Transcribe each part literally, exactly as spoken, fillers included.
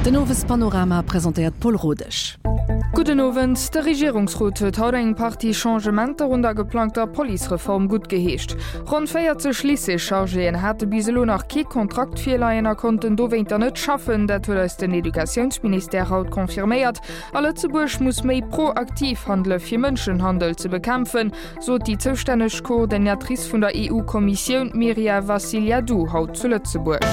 Den Owespanorama presentéiert d'Paul Rodesch. Gudden Owend. De Regierungsrot huet haut eng Partie Changementer un der geplangter Policereform guttgeheescht. Ronn véierzeg Lycée-Chargéen hate bis elo nach kee Kontrakt virleien a konnten dowéinter net schaffen. Dat huet eis den Educatiounsministère haut confirméiert. A Lëtzebuerg muss méi proaktiv handele fir Mënschenhandel ze bekämpfen, sot déi zoustänneg Coordinatrice vun der EU-Kommissioun Myria Vassiliadou haut zu Lëtzebuerg.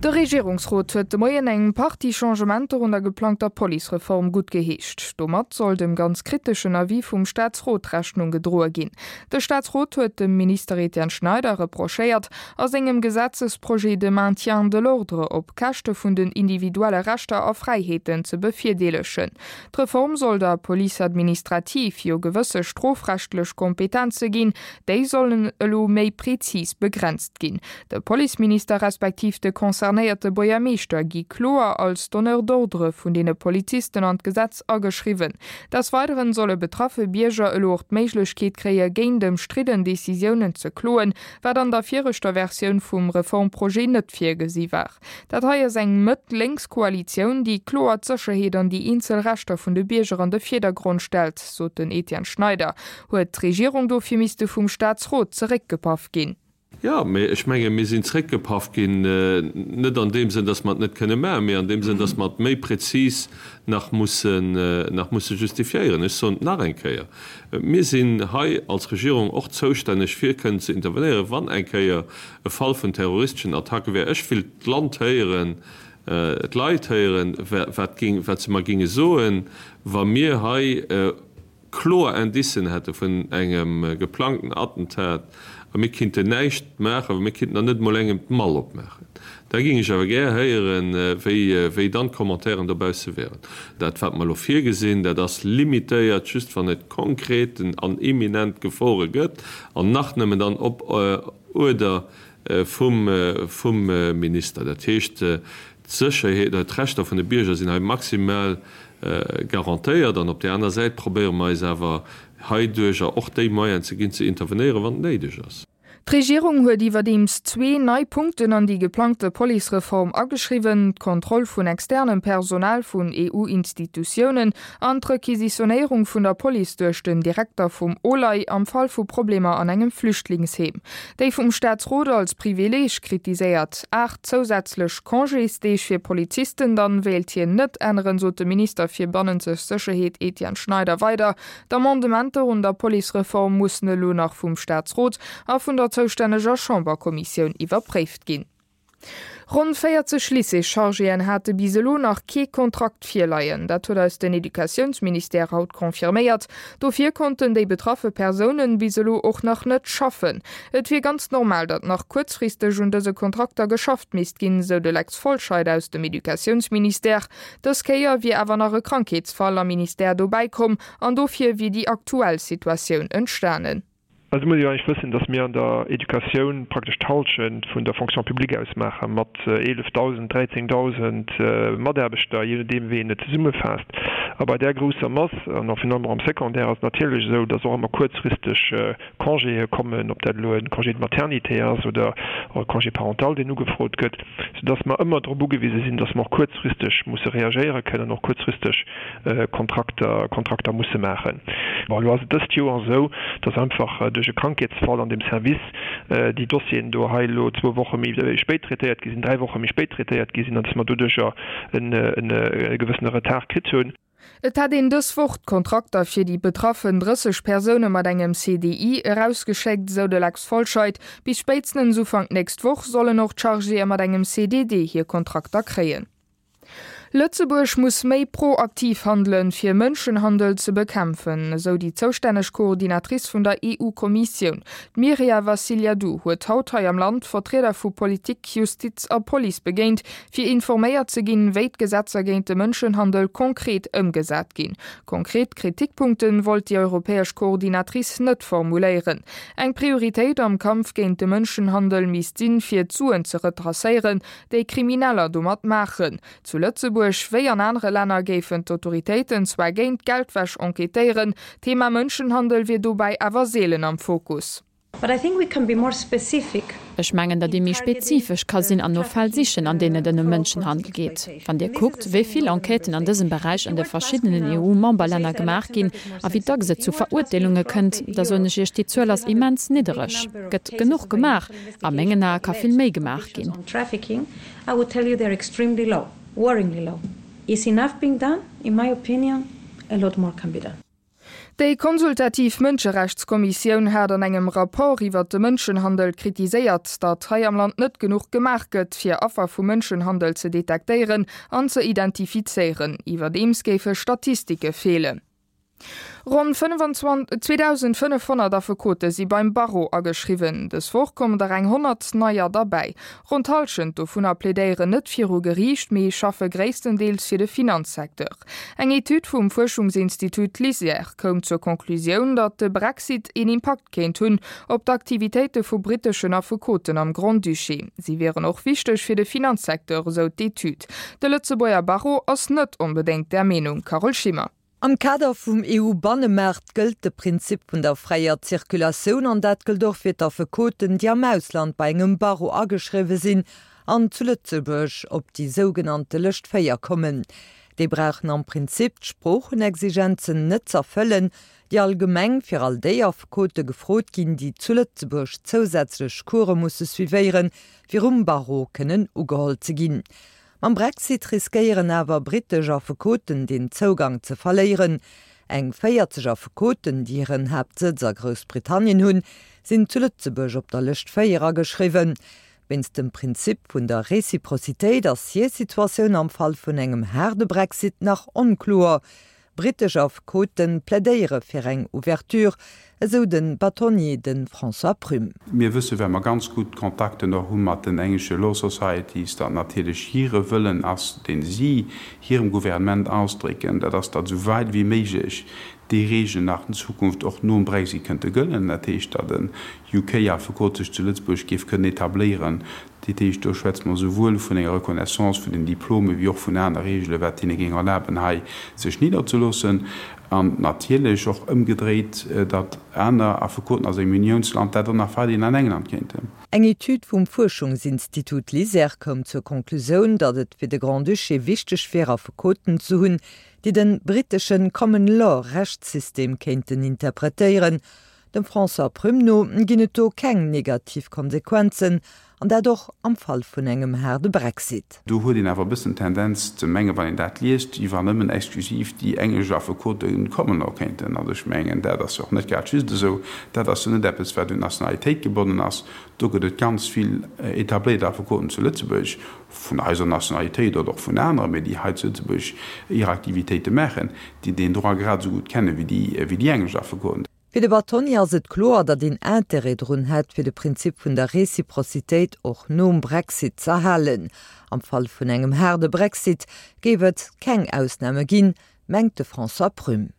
De Regierungsrot huet de Moien eng Partie Changementer un der geplangter Policereform guttgeheescht. Domat soll dem ganz kriteschen Avis vum Staatsrot Rechnung gedroe ginn. De Staatsrot huet dem Minister Etienne Schneider reprochéiert, a sengem Gesetzesprojet de Maintien de l'ordre op Käschte vun den individuelle Rechter a Fräiheeten ze bevirdeelegen. D'Reform soll der Police administrative jo gewësse strofrechtlech Kompetenze ginn, déi sollen elo méi prezis begrenzt ginn. De Policeminister respektiv de concernéierte Buergermeeschter gi kloer als Donneur d'ordre vun deene Polizisten an d'Gesetz ageschriwwen. Des Weideren solle betraffe Bierger elo och d'Méiglechkeet kréie géint ëmstridden Decisiounen ze kloen, wat an der viregter Versioun vum Reformprojet net virgesi war. Dat hei ass eng Mëtt-Lénks Koalitioun, déi kloer d'Sécherheet an déi eenzel Rechter vun de Bierger an de Virdergrond stellt, sot den Etienne Schneider. Huet d'Regierung dofir misste vum Staatsrot zeréckgepaff ginn? Jo, mee ech menge mir sinn zeréckgepaff ginn, net an deem Sënn, datt mer et net kënne maachen, mee an deem Sënn, datt mer et méi prezis nach mussen, nach musse justifiéieren. Ech soen et nach eng Kéier, Mir sinn hei als Regierung och zoustänneg fir kënnen ze intervenéieren, wann eng Kéier e Fall vun terroristeschen Attacke wär. Ech wéilt d'Land héieren, d'Leit héieren, wat géing, wat se mer géinge soen, wa mir hei kloer Indicen hätte vun engem geplangten Attentat a mir kinnten näischt maachen, mir kinnten dann net emol engem d'Mall opmaachen. Da géing ech awer gär héieren, wéi, wéi dann d'Commentairen dobausse wären. Dat, wat mer elo virgesinn, dat ass limitéiert just, wann et konkreten an imminent Gefore gëtt an nach nëmmen dann op Uerder vum, vum Minister. Dat heescht, d'Sécherheet oder d'Rechter vun de Bierger sinn hei maximal garantéiert an op där aner Säit probéiere mer eis awer heiduercher och déi Moyenen ze ginn, ze intervenéieren, wann et néideg ass. D'Regierung huet iwwerdeems zwee nei Punkten an déi geplangte Policereform ageschriwwen, d'Kontroll vun externem Personal vun EU-Institutiounen an d'Requisitionéierung vun der Police duerch den Direkter vum OLAI am Fall vu Problemer an engem Flüchtlingsheem. Déi vum Staatsrot als Privileeg kritiséiert aacht zousätzlech Congésdeeg fir Polizisten dann wéilt hien net änneren, sot de Minister fir bannenzeg Sécherheet Etienne Schneider weider. D'Amendementer un der Policereform mussen elo nach vum Staatsrot a vun der zoustänneger Chamberkommissioun iwwerpréift ginn. Ronn véierzeg Lycée-Chargéen hate bis elo nach kee Kontrakt virleien. Dat huet eis den Educatiounsministère haut confirméiert. Dofir konnten déi betraffe Persounen bis elo och nach net schaffen. Et wier ganz normal, datt nach kuerzfristeg un dëse Kontrakter geschafft misst ginn, sou de Lex Folscheid aus dem Educatiounsministère. Dës Kéier wier awer nach e Krankheetsfall am Ministère dobäi komm an dofir wier déi aktuell Situatioun entstanen. Also muss ee jo eigentlech wëssen, dass mir an der Educatioun praktesch d'Halschent vun der Fonction publique ausmaache mat eelefdausend, dräizéngdausend Mataarbechter, jee nodeem wéi een et zesummefaasst. A bei där grousser Mass, an och virun allem och am Secondaire, ass et natierlech esou, dass och ëmmer kuerzfristeg Congéë kommen, ob dat elo e Congé de maternité ass oder och e Congé parental, deen ugefrot gëtt, soudass mer ëmmer drop ugewise sinn, dass mer och kuerzfristeg musse reagéiere kënnen an och kuerzfristeg Kontrakter, Kontrakter musse maachen. Bon, elo ass et dëst Joer esou, dass einfach duerch e Krankheetsfall an deem Service déi Dossieren do hei elo zwou Woche méi spéit traitéiert gi sinn, dräi Woche méi spéit traitéiert gi sinn an dass mer doduercher e gewëssene Retard kritt hunn. Et hätt een dës Woch d'Kontrakter fir déi betraffen drësseg Persoune mat engem C D I erausgeschéckt, esou de Lex Folscheid. Bis spéitstens Ufank nächst Woch sollen och d'Chargéë mat engem C D D hir Kontrakter kréien. Lëtzebuerg muss méi proaktiv handelen, fir Mënschenhandel ze bekämpfen, esou déi zoustänneg Coordinatrice vun der E U-Kommissioun. D'Myria Vassiliadou huet haut hei am Land Vertrieder vu Politik, Justiz a Police begéint, fir informéiert ze ginn, wéi d'Gesetzer géint de Mënschenhandel konkret ëmgesat ginn. Konkret Kritikpunkte wollt déi europäesch Coordinatrice net formuléieren. Eng Prioritéit am Kampf géint de Mënschenhandel misst sinn, fir d'Suen ze retracéieren, déi Krimineller domat maachen. Zu Lëtzebuerg wéi an anere Länner géifen d'Autoritéiten zwar géint Geldwäsch enquêtéieren, d'Thema Mënschenhandel wier dobäi awer seelen am Fokus. But I think we can be more specific. Ech mengen, datt ee méi spezifesch ka sinn an no Fäll sichen, an deenen et ëm Mënschenhandel geet. Wann Dir kuckt, wéi vill Enquêten an dësem Beräich an de verschiddenen EU-Memberlänner gemaach ginn a wéi dacks et zu Verurteelunge kënnt, da soen ech Iech, déi Zuel ass immens niddereg. Gëtt genuch gemaach? A mengen Ae ka vill méi gemaach ginn. Déi konsultativ Mënscherechtskommissioun hat an engem Rapport iwwert de Mënschenhandel kritiséiert, datt hei am Land net genuch gemaach gëtt, fir Affer vu Mënschenhandel ze detektéieren an ze identifizéieren. Iwwerdeems géife Statistike feelen. Ronn zweedausendfënnefhonnert Affekote si beim Barreau ageschriwwen. Dës Woch kommen der eng honnert neier derbäi. Ronn d'Hallschent dovunner plädéieren net viru Geriicht, mee schaffe gréisstendeels fir de Finanzsecteur. Eng Etüd vum Fuerschungsinstitut LISER koum zur Conclusioun, datt de Brexit een Impakt kéint hunn op d'Aktivitéite vu britteschen Affekoten am Grand-Duché. Si wieren och wichteg fir de Finanzsecteur, esou d'Etüd. De Lëtzebuerger Barreau ass net onbedéngt där Meenung, Carole Schimmer. Am Kader vum E U-Bannemaart gëllt de Prinzip vun der fräier Zirkulatioun an dat gëllt och fir d'Affekoten, déi am Ausland bei engem Barreau ageschriwwe sinn an zu Lëtzebuerg op déi sougenannte Lëscht véier kommen. Déi brauchen am Prinzip d'Sproochenexigenzen net z'erfëllen, déi allgemeng fir all déi Affekote gefrot ginn, déi zu Lëtzebuerg zousätzlech Course musse suivéieren, fir um Barreau kënnen ugeholl ze ginn. Mam Brexit riskéieren awer brittesch Affekoten deen Zougang ze verléieren. Eng véierzeg Affekoten, déi hiren Haaptsëtz a Groussbritannien hunn, sinn zu Lëtzebuerg op der Lëscht véier ageschriwwen. Wéinst dem Prinzip vun der Reciprocitéit ass hir Situatioun am Fall vun engem haarde Brexit nach onkloer. Brittesch Affekote plädéiere fir eng Ouverture, esou de Bâtonnier, de François Prüm. Mir wësse well mer ganz gutt Kontakten och hu mat den englesche Law Societies, datt natierlech hire Wëllen ass, dee si hirem Gouvernement ausdrécken, dat ass, datt esou wäit wéi méiglech déi Regeln nach an Zukunft och nom Brexit kënnte gëllen. Dat heescht, datt en U K-Affekot sech zu Lëtzebuerg géif kënnen etabléieren. Dat heescht, do schwätze mer souwuel vun enger Reconnaissance vun den Diplome wéi och vun aner Regele wat hinne géing erlaben, hei sech nidderzeloossen. An natierlech och ëmgedréit, datt aner Affekoten aus engem Uniounsland dat dann nach weiderhin an England kéinten. Eng Etüd vum Fuerschungsinstitut LISER koum zur Konklusioun, datt et fir de Grand-Duché wichteg wier, Affekoten ze hunn, déi de brittesche Common-Law-Rechtssystem kéinten interpretéieren. Dem François Prüm no ginn et do keng negativ Konsequenzen, an dat och am Fall vun engem haarde Brexit. Do huet een awer e bëssen d'Tendenz ze mengen, wann een dat liest, wéi wann nëmmen exklusiv déi englesch Affekote Common Law kéinten. Also ech mengen, dat ass jo och net grad just esou. Dat ass jo net eppes, wat un d'Nationalitéit gebonnen ass. Do gëtt et ganz vill etabléiert Affekoten zu Lëtzebuerg, vun eiser Nationalitéit oder och vun aneren, mee déi hei zu Lëtzebuerg hir Aktivitéite maachen, déi deen Droit grad esou gutt kenne wéi déi englesch Affekoten. Fir de Bâtonnier ass et kloer, datt een Interêt drun hätt, fir de Prinzip vun der Reciprocitéit och nom Brexit z'erhalen. Am Fall vun engem haarde Brexit géif et keng Ausname ginn, mengt de François Prüm.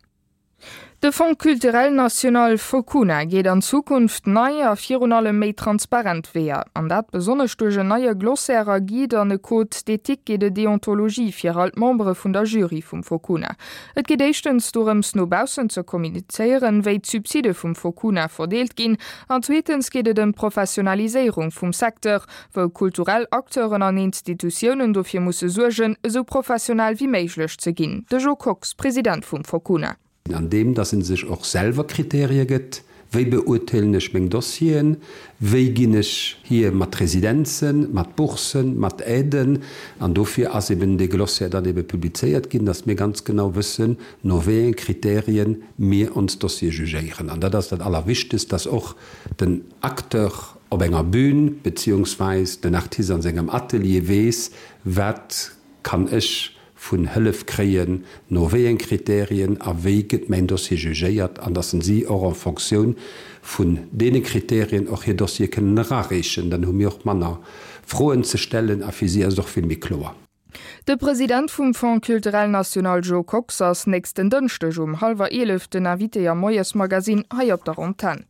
De Fonds culturel national Focuna geet an Zukunft nei a virun allem méi transparent Weeër. An dat besonnesch duerch en neie Glossaire a Guide an e Code d'éthique et de déontologie fir all d'Membere vun der Jury vum Focuna. Et geet éischtens dorëms no baussen ze kommunizéieren, wéi d'Subside vum Focuna verdeelt ginn, an zweetens geet et ëm d'Professionaliséierung vum Secteur, wou kulturell Acteuren an Institutiounen dofir musse suergen, esou professionell wéi méiglech ze ginn. De Jo Kox, President vum Focuna. An deem, dass en sech och selwer Kriterie gëtt, wéi beurteelen ech meng Dossieren, wéi ginn ech hier mat Residenzen, mat Boursen, mat Aiden, an dofir ass eben dee Glossaire dann ebe publizéiert ginn, dass mir ganz genau wëssen, no wéi enge Kriterien mir ons Dossiere jugéieren. An dat ass dat Allerwichtegst, dass och den Acteur op enger Bühn beziehungsweis den Artist an sengem Atelier weess, wat kann ech vun Hëllef kréien, no wéi eng Kriterien a wéi gëtt mäin Dossier jugéiert, an dass si och en Fonctioun vun deene Kriterien och hir Dossiere kënnen erareechen. Dann hu mir och manner Froen ze stellen a fir si ass et och vill méi kloer. De President vum Fonds culturel national Jo Kox ass nächsten Dënschdeg um hallwer eelef den Invité am Moiesmagazin hei op der Antenn.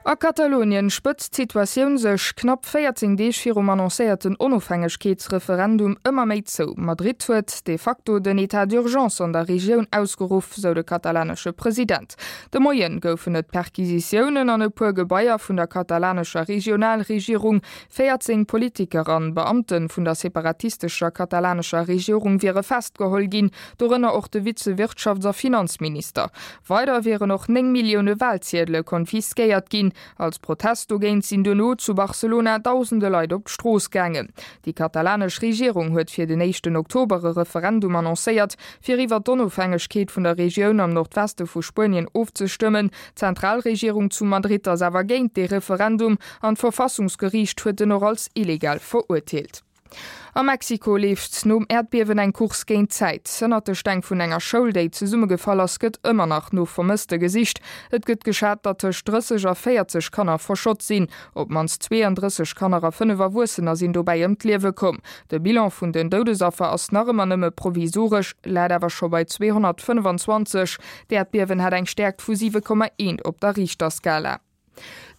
A Katalonien spëtzt d'Situatioun sech knapp véierzéng Deeg virum annoncéierten Onofhängegkeetsreferendum ëmmer méi zou. Madrid huet de facto den Etat d'urgence an der Regioun ausgeruff, sou de katalanesche President. De Moien goufen et Perquisitiounen an e puer Gebaier vun der katalanescher Regionalregierung. véierzéng Politiker an Beamte vun der separatistescher katalanescher Regierung wiere festgeholl ginn, dorënner och de Vize-Wirtschafts a Finanzminister. Weider wieren och néng Millioune Walziedele konfiskéiert ginn. Als Protest dogéint sinn duerno zu Barcelona dausende Leit op d'Strooss gaangen. Déi katalanesch Regierung huet fir den éischten Oktober e Referendum annoncéiert, fir iwwer d'Onofhängegkeet vun der Regioun am Nordweste vu Spuenien ofzestëmmen. D'Zentralregierung zu Madrid ass awer géint dee Referendum an d'Verfassungsgeriicht huet en och als illegal verurteelt. A Mexiko leeft nom Äerdbiewen eng Course géint d'Zäit. Ënnert de Steng vun enger Schoul, déi zesummegefall ass, gëtt ëmmer nach no Vermësste gesicht. Et gëtt geschat, datt tëscht drësseg a véierzeg Kanner verschott sinn. Op d'mannst zweeëndrësseg Kanner a fënnef Erwuessener sinn dobäi ëm d'Liewe komm. De Bilan vun den Doudesaffer ass nach ëmmer nëmme provisoresch, läit awer scho bei zweehonnertfënnefenzwanzeg. D'Äerdbiewen hat eng Stäerkt vu siwe Komma eent op der Richterskala.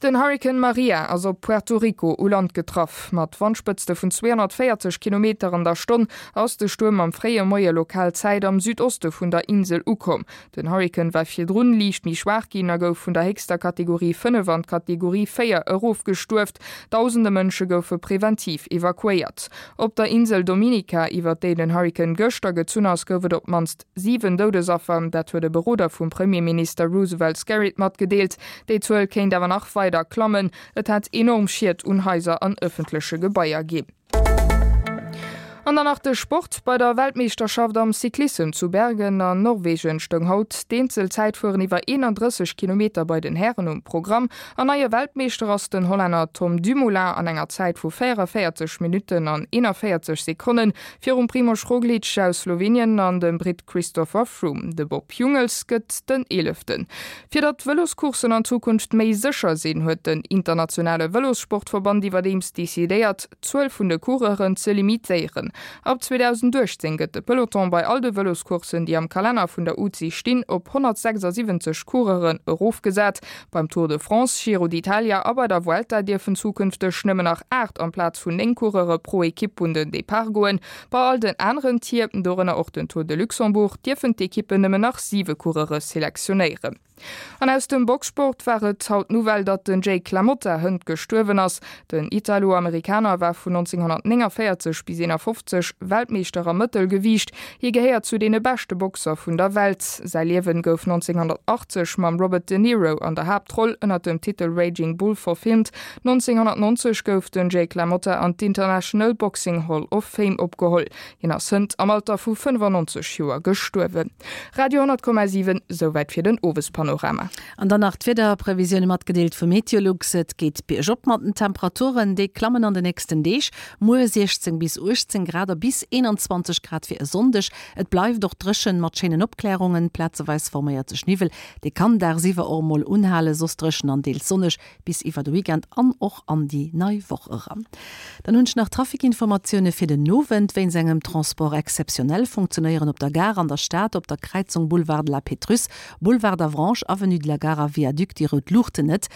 Den Hurrikan Maria ass op Puerto Rico u Land getraff. Mat Wandspëtzte vun zweehonnertvéierzeg Kilometer an der Stonn ass de Stuerm am fréie Moie lokal Zäit am Südoste vun der Insel ukomm. Den Hurrikan war virdrun liicht méi schwaach ginn a gouf vun der héchster Kategorie fënnef an d'Kategorie véier erofgestuuft. Dausende Mënsche goufe preventiv evakuéiert. Op der Insel Dominica, iwwer déi den Hurrikan gëschter gezunn ass, gouf et op d'mannst siwen Doudesaffer. Dat huet e Beroder vum Premierminister Roosevelt Skerrit matgedeelt. Déi Zuel kéint awer nach weider klammen. Et hätt enorm Schied un Haiser an ëffentleche Gebaier ginn. An dann nach de Sport, Bei der Weltmeeschterschaft am Cyclissem zu Bergen an Norwegen stoung haut d'Eenzelzäitfueren iwwer eenandrësseg Kilometer bei den Hären um Programm. An neie Weltmeeschter ass den Hollänner Tom Dumoulin an enger Zäit vu véierunvéierzeg Minutten an eenanvéierzeg Sekonnen virum Primož Roglič aus Slowenien an dem Britt Christopher Froome. De Bob Jungels gëtt den Eeleften. Fir datt d'Vëloscourssen an Zukunft méi sécher sinn, huet den internationale Vëlossportverband iwwerdeems decidéiert, d'Zuel vun de Coureuren ze limitéieren. Ab zweedausendachtzéng gëtt de Peloton bei all de Vëloscourssen, déi am Kalenner vun der UCI stinn, op honnertsechsasiwwenzeg Coureuren erofgesat. Beim Tour de France, Giro d'Italia a bei der Vuelta dierfen zukünfteg nëmmen nach aacht amplaz vun néng Coureure pro Ekipp un den Depart goen. Bei all den aneren Tier, dorënner och den Tour de Luxembourg, dierfen d'Ekippen nëmmen nach siwe Coureure selektionéieren. An aus dem Boxsport war et haut d'Nouvelle, datt den Jake LaMotta hënt gestuerwen ass. Den Italo-Amerikaner war vun nonzénghonnertnénganvéierzeg bis eenafofzeg Weltmeeschter am Mëttelgewiicht. Hie gehéiert zu deene beschte Boxer vun der Welt. Säi Liewen gouf nonzénghonnertachtzeg mam Robert De Niro an der Haaptroll ënner dem Titel Raging Bull verfilmt. Nonzénghonnertnonzeg gouf den Jake LaMotta an d'International Boxing Hall of Fame opgeholl. Hien ass hënt am Alter vu fënnefannonzeg Joer gestuerwen. Radio honnert Komma siwen, Souwäit fir den Owespanorama. An dann nach d'Wiederprevisioune matgedeelt vu Meteolux, Et geet biergop mat den Temperaturen, déi klammen an de nächsten Deeg, muer siechzéng bis uechtzéng Grad a bis eenanzwanzeg Grad fir e Sonndeg. Et bleift och dréchen mat schéinen Opklärungen, plazeweis forméiert sech Niwwel, dee kann dagsiwwer och emol unhalen, soss dréchen an deels sonneg bis iwwer de Weekend an och an déi nei Woch eran. Dann hunn ech nach Traficinformatioune fir den Owend. Wéinst engem Transport exceptionnel funktionéieren op der Gare an der Stad op der Kräizung Boulevard de la Pétrusse, Boulevard d'Avranches, Avenue de la Gare a Viaduc déi rout Luuchten net.